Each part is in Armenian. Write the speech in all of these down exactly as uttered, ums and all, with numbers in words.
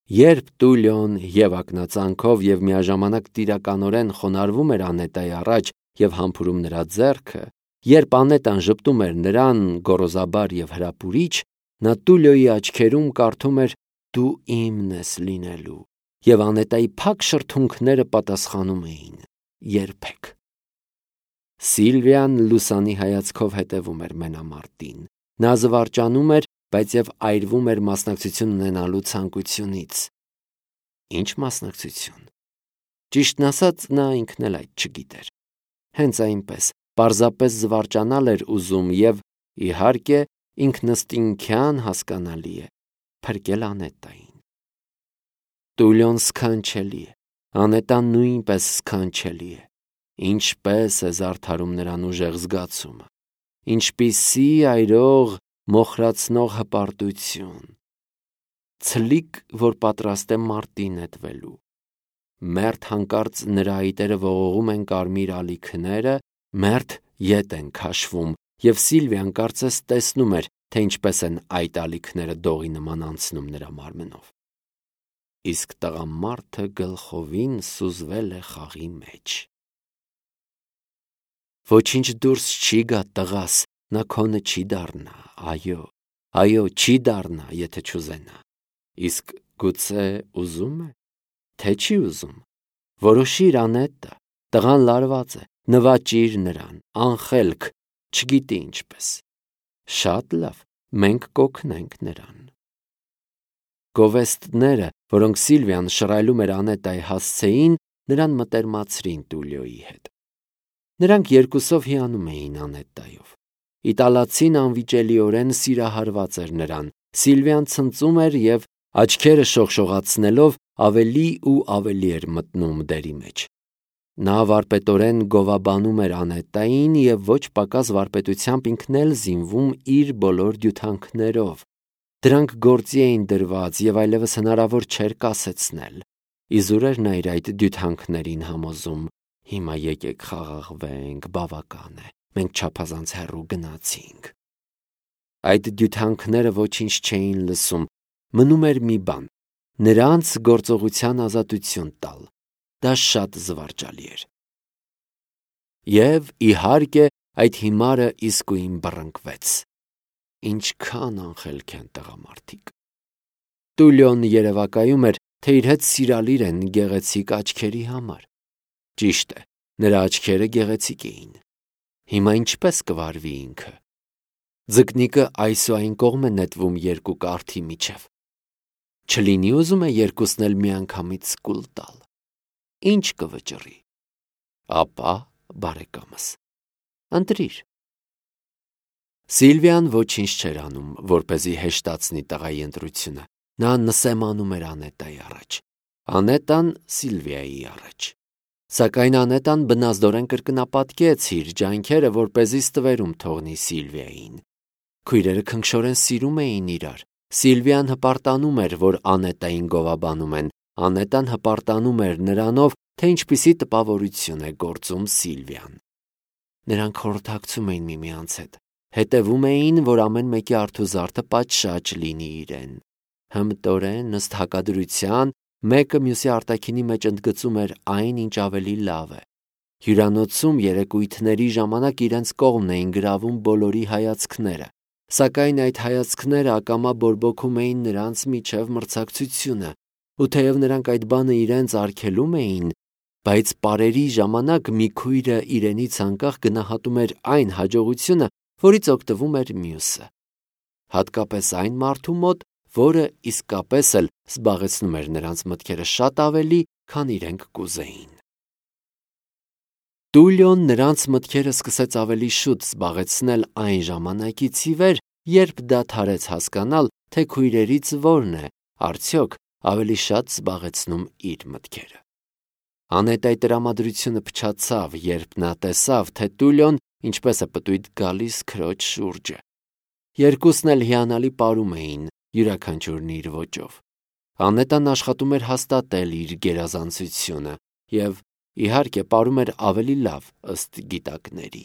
Երբ Տուլիոն եւ ակնածանքով եւ միաժամանակ տիրականորեն խոնարհվում էր Անետայի առաջ եւ համբուրում նրա ձեռքը, երբ Անետան ժպտում էր նրան գոռոզաբար եւ հրապուրիչ, նա Տուլիոյի աչքերում կարդում էր «Դու իմն ես լինելու», եւ Անետայի փակ շրթունքները պատասխանում էին «Երբեք»։ Սիլվիան լուսանի հայացքով հետևում էր մենամարտին։ Նա զվարճանում էր, բայց եւ այրվում էր մասնակցություն ունենալու ցանկությունից։ Ինչ մասնակցություն։ Ճիշտն ասած, նա ինքն էլ այդ չգիտեր։ Հենց այնպես, պարզապես զվարճանալ էր ուզում եւ, իհարկե, ինքնըստինքյան հասկանալի է, փրկել Անետային։ Տուլիոն սքանչելի է, Անետան նույնպես սքանչելի է։ Ինչպես է զարդարում նրան ուժեղ զգացումը, ինչպիսի այրող, մոխրացնող հպարտություն, ցլիկ, որ պատրաստ է մարտի նետվելու։ Մերթ հանկարծ նրա այտերը ողողում են կարմիր ալիքները, մերթ ետ են քաշվում, եւ Սիլվիան կարծես տեսնում էր, թե ինչպես են այդ ալիքները դողի նման անցնում նրա մարմնով։ Իսկ տղամարդը գլխովին սուզվել է խաղի մեջ։ Ոչինչ դուրս չի գա, տղաս, նա քոնը չի դառնա, այո, այո, չի դառնա, եթե չուզենա։ Իսկ գուցե ուզում է, թե չի ուզում։ Որոշիր Անետը, տղան լարված է, նվաճիր նրան, անխելք, չգիտի ինչպես։ Շատ լավ, մենք կօգնենք նրան։ Գովեստները, որոնք Սիլվիան շռայլում էր Անետայի հասցեին, նրան մտերմացրին Տուլիոյի հետ։ Նրանք երկուսով հիանում էին Անետայով։ Իտալացին անվիճելիորեն սիրահարված էր նրան։ Սիլվիան ցնծում էր եւ աչքերը շողշողացնելով ավելի ու ավելի էր մտնում դերի մեջ։ Նա վարպետորեն գովաբանում էր Անետային եւ ոչ պակաս վարպետությամբ ինքն էլ զինվում իր բոլոր դյութանքներով։ Դրանք գործի էին դրված եւ այլևս հնարավոր չէր կասեցնել։ Իզուր էր նա իր այդ դյութանքներին համոզում. հիմա եկեք խաղաղվենք, բավական է, մենք չափազանց հեռու գնացինք։ Այդ դյութանքները ոչինչ չէին լսում, մնում էր մի բան՝ նրանց գործողության ազատություն տալ։ Դա շատ զվարճալի էր։ Եվ, իհարկե, այդ հիմարը իսկույն բռնկվեց։ Ինչքան անխելք են տղամարդիկ։ Տուլիոն երևակայում էր, թե իր հետ սիրալիր են գեղեցիկ աչքերի համար։ Ճիշտ է, նրա աչքերը գեղեցիկ էին։ Հիմա ինչպես կվարվի ինքը։ Ձկնիկը այս ու այն կողմ է նետվում երկու կարթի միջև։ Չլինի ուզում է երկուսն էլ միանգամից կուլ տալ։ Ինչ կվճռի։ Ապա, բարեկամս, ընտրիր։ Սիլվիան ոչինչ չէր անում, որպեսզի հեշտացնի տղայի ընտրությունը։ Նա նսեմանում էր Անետայի առաջ, Անետան Սիլվիայի առաջ։ Սակայն Անետան բնազդորեն կրկնապատկեց իր ջանքերը, որպեսզի ստվերում թողնի Սիլվիային։ Քույրերը քնքշորեն սիրում էին իրար։ Սիլվիան հպարտանում էր, որ Անետային գովաբանում են։ Անետան հպարտանում էր նրանով, թե ինչպիսի տպավորություն է գործում Սիլվիան։ Նրանք խորհրդակցում էին միմյանց հետ։ Հետևում էին, որ ամեն մեկի արթուզարդը պատշաճ լինի իրեն։ Հմտորեն, ըստ հակադրության, մեկը մյուսի արտաքինի մեջ ընդգծում էր այն, ինչ ավելի լավ է։ Հյուրանոցում երեկույթների ժամանակ իրենց կողմն էին գրավում բոլորի հայացքները, սակայն այդ հայացքները ակամա բորբոքում էին նրանց միջև մրցակցությունը, ու թեև նրանք այդ բանը իրենց արգելում էին, բայց պարերի ժամանակ մի քույրը իրենից անկախ գնահատում էր այն հաջողությունը, որից օգտվում էր մյուսը, հատկապես այն մարդու մոտ, որը իսկապես էլ զբաղեցնում էր նրանց մտքերը շատ ավելի, քան իրենք կուզեին։ Տուլիոն նրանց մտքերը սկսեց ավելի շուտ զբաղեցնել այն ժամանակից ի վեր, երբ դադարեց հասկանալ, թե քույրերից որն է, արդյոք, ավելի շատ զբաղեցնում իր մտքերը։ Անետայի տրամադրությունը փչացավ, երբ նա տեսավ, թե Տուլիոն ինչպես է պտույտ գալիս քրոջ շուրջը։ Երկուսն էլ հիանալի պարում էին, յուրաքանչյուրն իր ոճով։ Անետան աշխատում էր հաստատել իր գերազանցությունը եւ, իհարկե, պարում էր ավելի լավ ըստ գիտակների։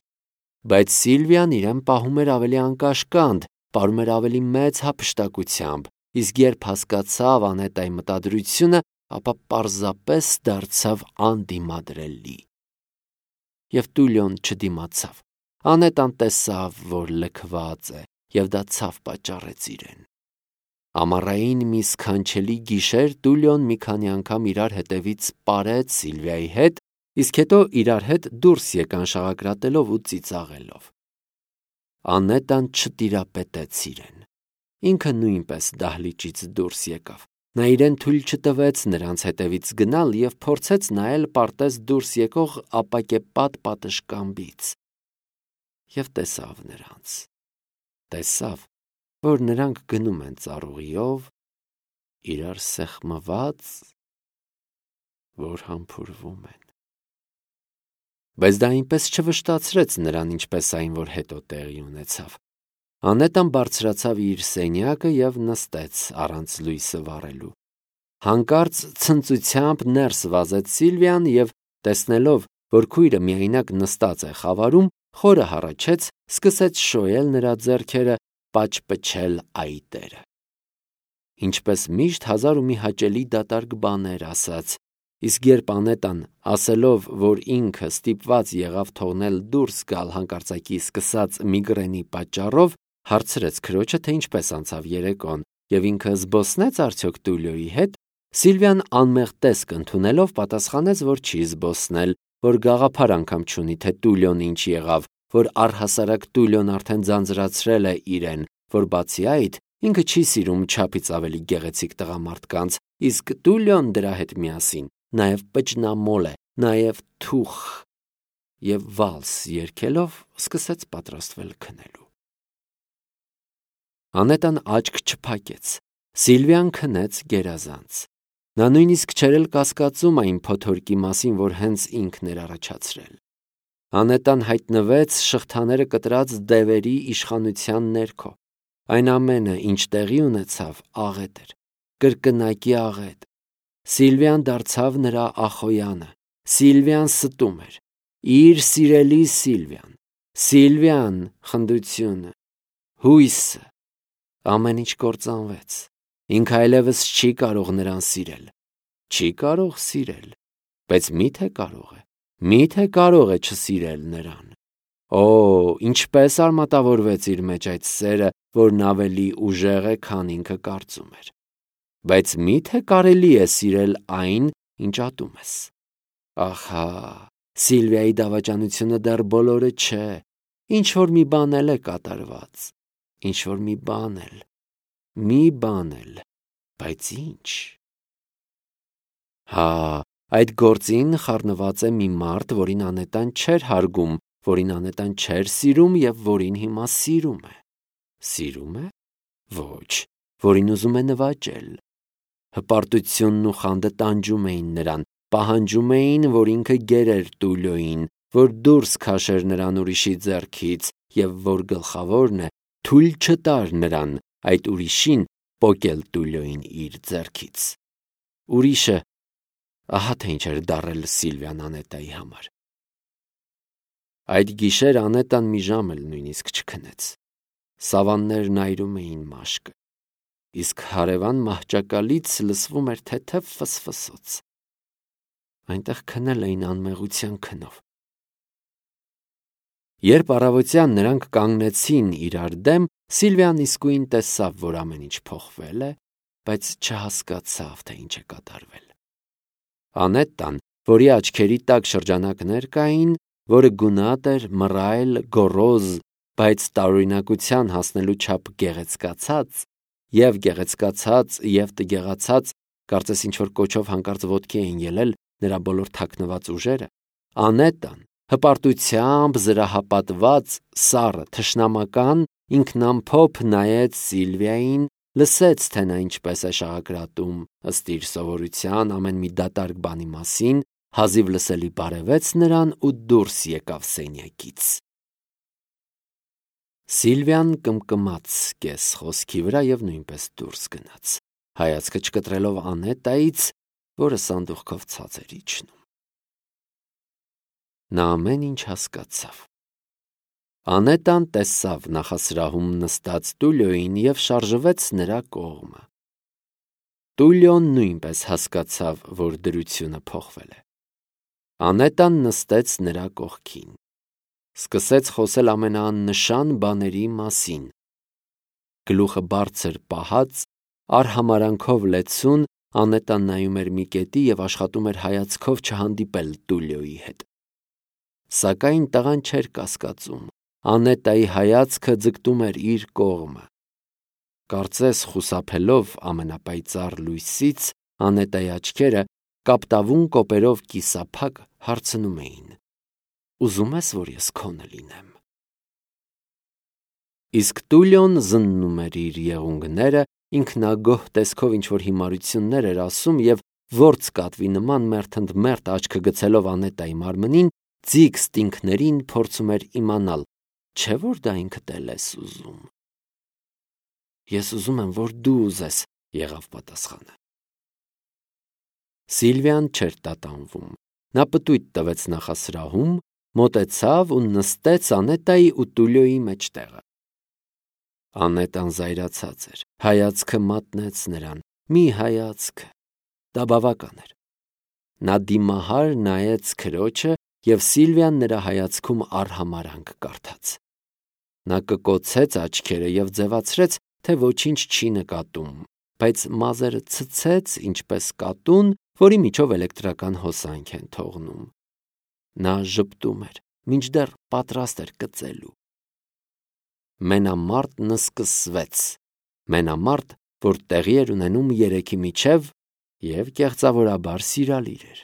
Բայց Սիլվիան իրեն պահում էր ավելի անկաշկանդ, պարում էր ավելի մեծ հափշտակությամբ, իսկ երբ հասկացավ Անետայի մտադրությունը, ապա պարզապես դարձավ անդիմադրելի։ Եվ Տուլիոն չդիմացավ։ Անետան տեսավ, որ լքված է, և դա ցավ պատճառեց իրեն։ Ամառային մի սքանչելի գիշեր Տուլիոն մի քանի անգամ իրար հետևից պարեց Սիլվիայի հետ, իսկ հետո իրար հետ դուրս եկան շաղակրատելով ու ծիծաղելով։ Անետան չտիրապետեց իրեն։ Ինքը նույնպես դահլիճից դուրս եկավ։ Նա իրեն թույլ չտվեց նրանց հետևից գնալ և փորձեց նայել պարտեզ դուրս եկող ապակեպատ պատշգամբից։ Եվ տեսավ նրանց։ Տեսավ, որ նրանք գնում են ծառուղիով, իրար սեղմված, որ համբուրվում են։ Բայց դա այնպես չվշտացրեց նրան, ինչպես այն, որ հետո տեղի ունեցավ։ Անետան բարձրացավ իր սենյակը և նստեց առանց լույսը վառելու։ Հանկարծ ցնծությամբ ներս վազեց Սիլվիան և, տեսնելով, որ քույրը միայնակ նստած է խավարում, խորը հառաչեց, սկսեց շոյել նրա ձեռքերը, պաճպճել այտերը։ Ինչպես միշտ հազար ու մի հաճելի դատարկ բաներ ասաց, իսկ երբ Անետան, ասելով, որ ինքը ստիպված եղավ թողնել դուրս գալ հանկարծակի սկսած միգրենի պատճառով, հարցրեց քրոջը, թե ինչպես անցավ երեկոն և ինքը զբոսնեց արդյոք Տուլիոյի հետ, Սիլվիան անմեղ տեսք ընդունելով պատասխանեց, որ չի զբոսնել, որ գաղափար անգամ չունի, թե Տուլիոն ինչ եղավ, որ առհասարակ Տուլիոն արդեն ձանձրացրել է իրեն, որ բացի այդ ինքը չի սիրում չափից ավելի գեղեցիկ տղամարդկանց, իսկ Տուլիոն դրա հետ միասին նաև պճնամոլ է, նաև թուխ, և վալս երգելով սկսեց պատրաստվել քնելու։ Անետան աչք չփակեց։ Սիլվիան քնեց գերազանց։ Նա նույնիսկ չէր էլ կասկածում այն փոթորկի մասին, որ հենց ինքն էր առաջացրել։ Անետան հայտնվեց շղթաները կտրած դևերի իշխանության ներքո։ Այն ամենը, ինչ տեղի ունեցավ, աղետ էր, կրկնակի աղետ։ Սիլվիան դարձավ նրա ախոյանը։ Սիլվիան ստում էր։ Իր սիրելի Սիլվիան։ Սիլվիան, խնդությունը, հույսը, ամեն ինչ կործանվեց։ Ինքը այլևս չի կարող նրան սիրել։ Չի կարող սիրել, բայց միթե կարող է, միթե կարող է չսիրել նրան։ Օ, ինչպես արմատավորվեց իր մեջ այդ սերը, որն ավելի ուժեղ է, քան ինքը կարծում էր։ Բայց միթե կարելի է սիրել այն, ինչ ատում ես։ Ահա, Սիլվիայի դավաճանությունը դեռ բոլորը չէ, ինչ-որ մի բան էլ է կատարված, ինչ-որ մի բան էլ, մի բան էլ, բայց ինչ։ Հա, այդ գործին խառնված է մի մարդ, որին Անետան չէր հարգում, որին Անետան չէր սիրում և որին հիմա սիրում է։ Սիրում է։ Ոչ, որին ուզում է նվաճել։ Հպարտությունն ու խանդը տանջում էին նրան, պահանջում էին, որ ինքը գերեր Տուլիոյին, որ դուրս քաշեր նրան ուրիշի ձեռքից և որ գլխավորն է, թույլ չտար նրան, այդ ուրիշին, պոկել Տուլիոյին իր ձեռքից։ Ուրիշը, ահա թե ինչ էր դառել Սիլվիան Անետայի համար։ Այդ գիշեր Անետան մի ժամ էլ նույնիսկ չքնեց։ Սավաններն այրում էին մաշկը, իսկ հարևան մահճակալից լսվում էր թեթև ֆսֆսոց։ Այնտեղ քնել էին անմեղության քնով։ Երբ առավոտյան նրանք կանգնեցին իրար դեմ, Սիլվիան իսկույն տեսավ, որ ամեն ինչ փոխվել է, բայց չհասկացավ, թե ինչ է կատարվել։ Անետան, որի աչքերի տակ շրջանակներ կային, որը գունատ էր, մռայլ, գոռոզ, բայց տարօրինակության հասնելու չափ գեղեցկացած, և գեղեցկացած, և տգեղացած, կարծես ինչ-որ կոչով հանկարծ ոտքի էին ելել նրա բոլոր թաքնված ուժերը, Անետան, հպարտությամբ զրահապատված, սառը, թշնամական, ինքնամփոփ նայեց Սիլվիային, լսեց, թե նա ինչպես է շաղակրատում, ըստ իր սովորության ամեն մի դատարկ բանի մասին, հազիվ լսելի բարևեց նրան ու դուրս եկավ սենյակից։ Սիլվիան կմկմաց կես խոսքի վրա և նույնպես դուրս գնաց, հայացքը չկտրելով Անետայից, որը սանդուղքով ցած էր իջնում։ Նա ամեն ինչ հասկացավ։ Անետան տեսավ նախասրահում նստած Տուլիոյին և շարժվեց նրա կողմը։ Տուլիոն նույնպես հասկացավ, որ դրությունը փոխվել է։ Անետան նստեց նրա կողքին։ Սկսեց խոսել ամենաաննշան բաների մասին։ Գլուխը բարձր պահած, արհամարանքով լեցուն, Անետան նայում էր մի կետի և աշխատում էր հայացքով չհանդիպել Տուլիոյի հետ։ Սակայն տղան չէր կասկածում։ Անետայի հայացքը ձգտում էր իր կողմը։ Կարծես խուսափելով ամենապայծառ լույսից, Անետայի աչքերը կապտավուն կոպերով կիսափակ հարցնում էին. «Ուզում ես, որ ես քոնը լինեմ»։ Իսկ Տուլիոն զննում էր իր եղունգները, ինքնագոհ տեսքով ինչ-որ հիմարություններ էր ասում և որձ կատվի նման մերթ ընդ մերթ աչքը գցելով Անետայի մարմնին, ձիգ ստինքներին փորձում էր իմանալ, չէ՞ որ դա ինքդ էլ ես ուզում։ «Ես ուզում եմ, որ դու ուզես», եղավ պատասխանը։ Սիլվիան չէր տատանվում։ Նա պտույտ տվեց նախասրահում, մոտեցավ ու նստեց Անետայի ու Տուլիոյի մեջտեղը։ Անետան զայրացած էր, հայացքը մատնեց նրան, մի հայացքը, դա բավական էր։ Նա դիմահար նայեց քրոջը և Սիլվիան նրա հայացքում արհամարանք կարդաց։ Նա կկոցեց աչքերը և ձևացրեց, թե ոչինչ չի նկատում, բայց մազերը ցցեց, ինչպես կատուն, որի միջով էլեկտրական հոսանք են թողնում։ Նա ժպտում էր, մինչդեռ պատրաստ էր կծելու։ Մենամարտն սկսվեց, մենամարտ, որ տեղի էր ունենում երեքի միջև և կեղծավորաբար սիրալիր էր։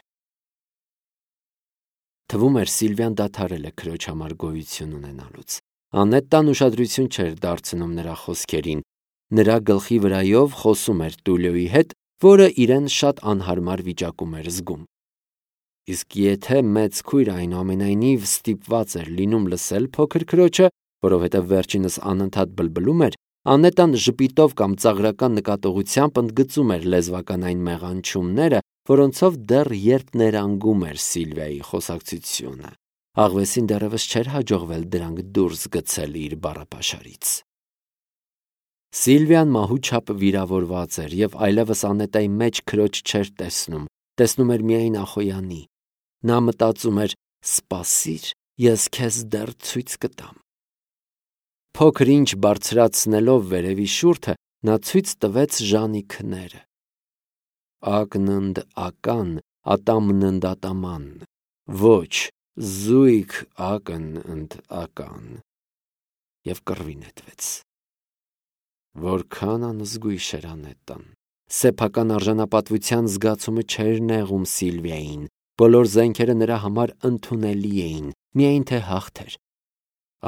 Թվում էր Սիլվիան դադարել է քրոջ համար գոյություն ունենալուց։ Անետան ուշադրություն չէր դարձնում նրա խոսքերին, նրա գլխի վրայով խոսում էր Տուլիոյի հետ, որը իրեն շատ անհարմար վիճակում էր զգում։ Իսկ եթե մեծ քույրը այնուամենայնիվ ստիպված էր լինում լսել փոքր քրոջը, որովհետև վերջինս անընդհատ բլբլում էր, Անետան ժպիտով կամ ծաղրական նկատողությամբ ընդգծում էր լեզվական այն մեղանչումները, որոնցով դեռ երբ ներանգում էր Սիլվիայի խոսակցությունը։ Աղվեսին դեռևս չէր հաջողվել դրանք դուրս գցել իր բառապաշարից։ Սիլվիան մահու չափ վիրավորված էր և այլևս Անետայի մեջ քրոջ չէր տեսնում, տեսնում էր միայն Ախոյանի։ Նա մտածում էր. «Սպասիր, ես քեզ դեռ ցույց կտամ»։ Փոքր ինչ բարձրացնելով վերևի շուրթը, նա ցույց տվեց Ժանի քները։ Ակն ընդ ական, ատամն ընդ ատաման, ոչ, զույգ ակն ընդ ական, և կռվի նետվեց։ Որքան անզգույշ էր Անետան։ Սեփական արժանապատվության զգացումը չէր նեղում Սիլվիային, բոլոր զենքերը նրա համար ընդունելի էին, միայն թե հաղթեր։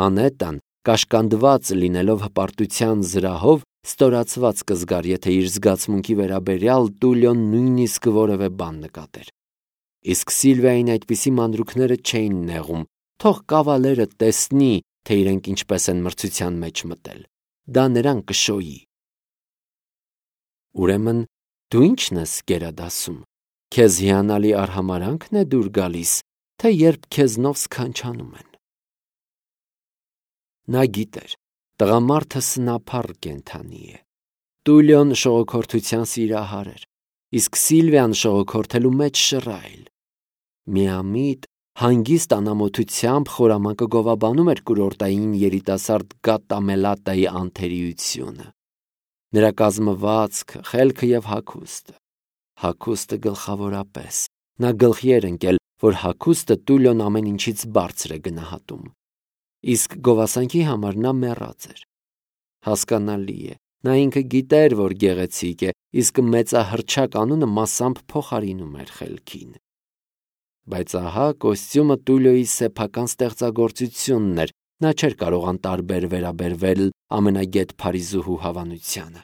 Անետան, կաշկանդված լինելով հպարտության զրահով, ստորացված կզգար, եթե իր զգացմունքի վերաբերյալ Տուլիոն նույնիսկ որևէ բան նկատեր։ Իսկ Սիլվիային այդպիսի մանրուքները չէին նեղում, թող կավալերը տեսնի, թե իրենք ինչպես են մրցության մեջ մտել։ Դա նրան կշոյի։ Ուրեմն դու ի՞նչն ես գերադասում։ Քեզ հիանալի արհամարանքն է դուր գալիս, թե երբ քեզնով սքանչանում են։ Նա գիտեր, տղամարդը սնափառ կենդանի է։ Տուլիոն շողոքորթության սիրահար էր, իսկ Սիլվիան շողոքորթելու մեջ շռայլ։ Միամիտ, հանգիստ անամոթությամբ խորամանկը գովաբանում էր կուրորտային երիտասարդ Գատամելատայի անթերիությունը։ Նրա կազմվածքը, խելքը և հագուստը։ Հագուստը գլխավորապես։ Նա գլխի էր ընկել, որ հագուստը Տուլիոն ամեն ինչից բարձր է գնահատում։ Իսկ գովասանքի համար նա մեռած էր։ Հասկանալի է, նա ինքը գիտեր, որ գեղեցիկ է, իսկ մեծահռչակ անունը մասամբ փոխարինում էր խելքին։ Բայց ահա կոստյումը Տուլիոյի սեփական ստեղծագործությունն էր, նա չէր կարող անտարբեր վերաբերվել ամենագետ Փարիզուհու հավանությանը։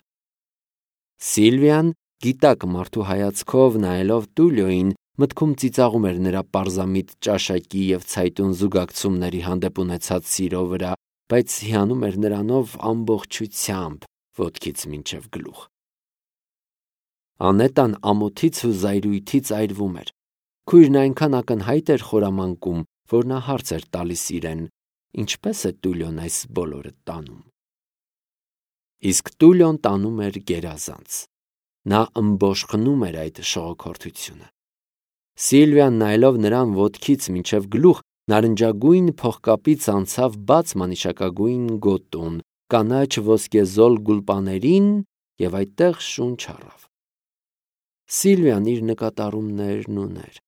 Սիլվիան, գիտակ մարդու հայացքով նայելով Տուլիոյին, մտքում ծիծաղում էր նրա պարզամիտ ճաշակի և ցայտուն զուգակցումների հանդեպ ունեցած սիրո վրա, բայց հիանում էր նրանով ամբողջությամբ, ոտքից մինչև գլուխ։ Անետան ամոթից ու զայրույթից այրվում էր։ Քույրն այնքան ակնհայտ էր խորամանկում, որ նա հարց էր տալիս իրեն. ինչպե՞ս է Տուլիոն այս բոլորը տանում։ Իսկ Տուլիոն տանում էր գերազանց։ Նա ըմբոշխնում էր այդ շողոքորթությունը։ Սիլվիան նայելով նրան ոտքից մինչև գլուխ, նարնջագույն փողկապից անցավ բաց մանիշակագույն գոտուն, կանաչ ոսկեզոլ գուլպաներին և այդտեղ շունչ առավ։ Սիլվիան իր նկատառումներն ուներ։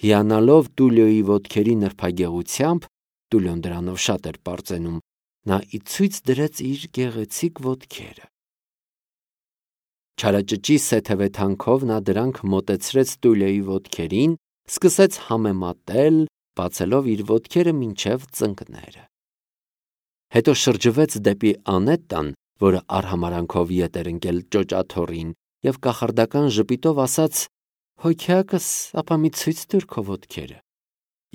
Հիանալով Տուլիոյի ոտքերի նրբագեղությամբ, Տուլիոն դրանով շատ էր պարծենում, նա ի ցույց դրեց իր գեղեցիկ ոտքերը։ Չարաճճի սեթևեթանքով նա դրանք մոտեցրեց Տուլիոյի ոտքերին, սկսեց համեմատել, բացելով իր ոտքերը մինչև ծնկները։ Հետո շրջվեց դեպի Անետտան, որը արհամարանքով ետ էր ընկել ճոճաթոռին, և կախարդական ժպիտով ասաց. «Հոգյակս, ապա մի ցույց տուր քո ոտքերը»,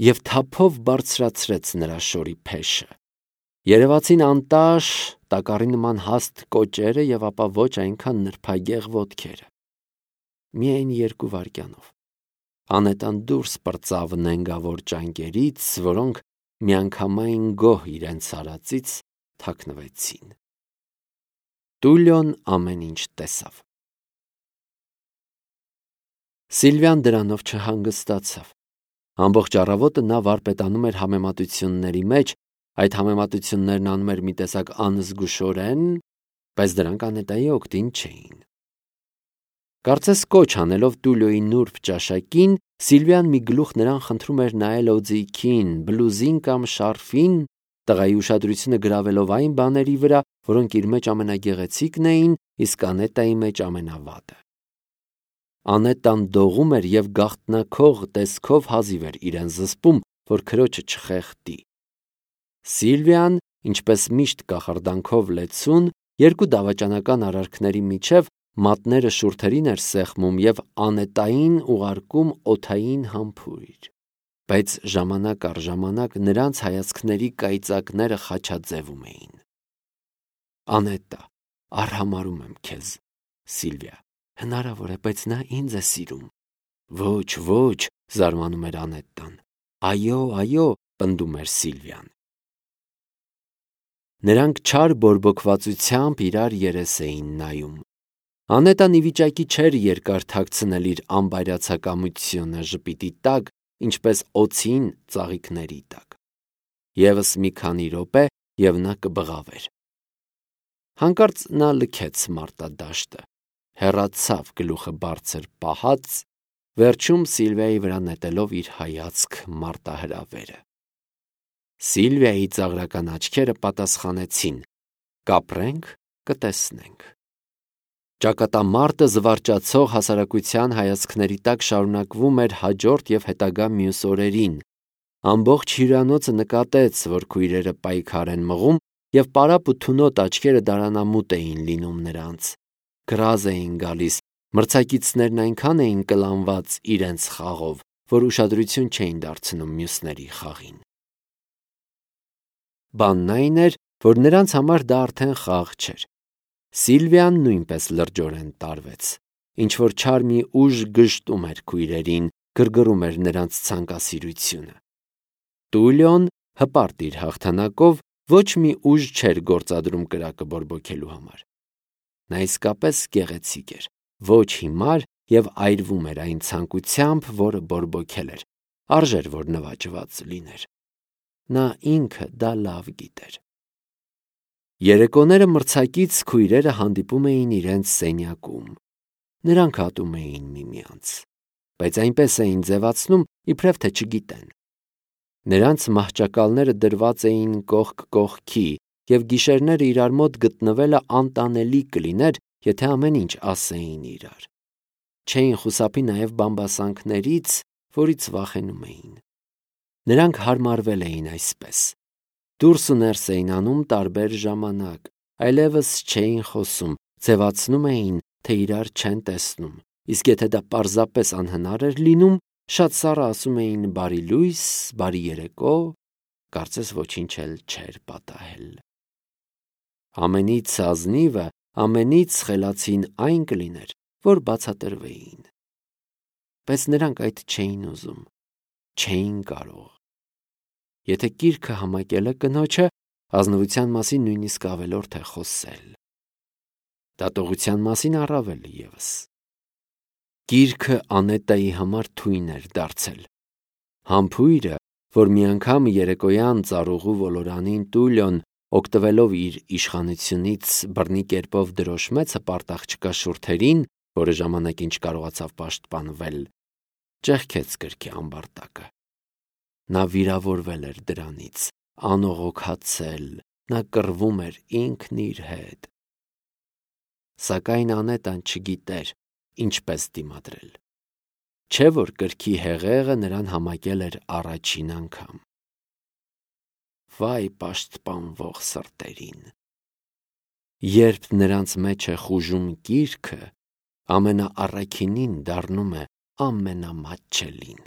և թափով բարձրացրեց նրա շորի փեշը։ Երևացին անտաշ, տակառի նման հաստ կոճերը և ապա ոչ այնքան նրբագեղ ոտքերը։ Միայն երկու վայրկյանով Անետտան դուրս պրծավ նենգավոր ճանկերից, որոնք միանգամայն գոհ իրենց արածից թաքնվեցին։ Տուլիոն ամեն ինչ տեսավ։ Սիլվիան դրանով չհանգստացավ։ Ամբողջ առավոտը նա վարպետանում էր համեմատությունների մեջ, այդ համեմատություններն անում էր մի տեսակ անզգուշորեն, բայց դրանք Անետտայի օգտին չէին։ Կարծես կոչ անելով Տուլիոյի նուրբ ճաշակին, Սիլվիան մի գլուխ նրան խնդրում էր նայել օձիքին, բլուզին կամ շարֆին, տղայի ուշադրությունը գրավելով այն բաների վրա, որոնք իր մեջ ամենագեղեցիկն էին, իսկ Անետտայի մեջ ամենավատը։ Անետտան դողում էր և գաղտնաքող տեսքով հազիվ էր իրեն զսպում, որ քրոջը չխեղդի։ Սիլվիան, ինչպես միշտ կախարդանքով լեցուն, երկու դավաճանական արարքների միջև մատները շուրթերին էր սեղմում և Անետտային ուղարկում օդային համբույր, բայց ժամանակ առ ժամանակ նրանց հայացքների կայծակները խաչաձևում էին։ Անետտա, արհամարհում եմ քեզ, Սիլվիա, հնարավոր է, բայց նա ինձ է սիրում։ Ոչ, ոչ, զարմանում էր Անետտան։ Այո, այո, պնդում էր Սիլվիան։ Նրանք չար բորբոքվածությամբ իրար երես էին նայում։ Անետտան ի վիճակի չէր երկար թաքցնել իր անբայրացակամությունը ժպիտի տակ, ինչպես օձին ծաղիկների տակ։ Եվս մի քանի րոպե, և նա կբղավեր։ Հանկարծ նա լքեց մարտադաշտը, հեռացավ գլուխը բարձր պահած, վերջում Սիլվիայի վրա նետելով իր հայացք մարտահրավերը։ Սիլվիայի ծաղրական աչքերը պատասխանեցին. «Կապրենք, կտեսնենք»։ Ճակատամարտը զվարճացող հասարակության հայացքների տակ շարունակվում էր հաջորդ և հետագա մյուս օրերին։ Ամբողջ հյուրանոցը նկատեց, որ քույրերը պայքար են մղում, և պարապ ու թունոտ աչքերը դարանամուտ էին լինում նրանց։ Գրազ էին գալիս, մրցակիցներն այնքան էին կլանված իրենց խաղով, որ ուշադրություն չէին դարձնում մյուսների խաղին։ Բանն այն էր, որ նրանց համար դա արդեն խաղ չէր։ Սիլվիան նույնպես լրջորեն տարվեց։ Ինչ-որ չար մի ուժ գժտում էր քույրերին, գրգռում էր նրանց ցանկասիրությունը։ Տուլիոն, հպարտ իր հաղթանակով, ոչ մի ուժ չէր գործադրում կրակը բորբոքելու համար։ Նա իսկապես գեղեցիկ էր, ոչ հիմար և այրվում էր այն ցանկությամբ, որը բորբոքել էր, արժեր, որ նվաճված լիներ։ Նա ինքը դա լավ գիտեր։ Երեկոները մրցակից քույրերը հանդիպում էին իրենց սենյակում։ Նրանք ատում էին միմյանց, բայց այնպես էին ձևացնում, իբրև թե չգիտեն։ Նրանց մահճակալները դրված էին կողք կողքի, և գիշերները իրար մոտ գտնվելը անտանելի կլիներ, եթե ամեն ինչ ասեին իրար։ Չէին խուսափի նաև բամբասանքներից, որից վախենում էին։ Նրանք հարմարվել էին այսպես. դուրս ու ներս էին անում տարբեր ժամանակ, այլևս չէին խոսում, ձևացնում էին, թե իրար չեն տեսնում, իսկ եթե դա պարզապես անհնար էր լինում, շատ սառը ասում էին բարի լույս, բարի երեկո, կարծես ոչինչ էլ չէր պատահել։ Ամենից ազնիվը, ամենից խելացին այն կլիներ, որ բացատրվեին։ Բայց նրանք այդ չէին ուզում, չէին կարող։ Եթե կիրքը համակել է կնոջը, ազնվության մասին նույնիսկ ավելորդ է խոսել։ Դատողության մասին առավել ևս։ Գիրքը Անետայի համար թույն էր դարձել։ Համբույրը, որ մի անգամ երեկոյան ծառուղու ոլորանին Տուլիոն, օգտվելով իր իշխանությունից բռնի կերպով դրոշմեց հպարտ աղջկա շուրթերին, որը ժամանակին չկարողացավ պաշտպանվել, ճեղքեց գրքի ամբարտակը։ Նա վիրավորվել էր դրանից, անողոքացել, նա կռվում էր ինքն իր հետ։ Սակայն Անետան չգիտեր ինչպես դիմադրել։ Չէ՞ որ գրքի հեղեղը նրան համակել էր առաջին անգամ։ Վայ պաշտպանվող սրտերին։ Երբ նրանց մեջ է խուժում գիրքը, ամենաառաքինին դառնում է ամենամատչելին։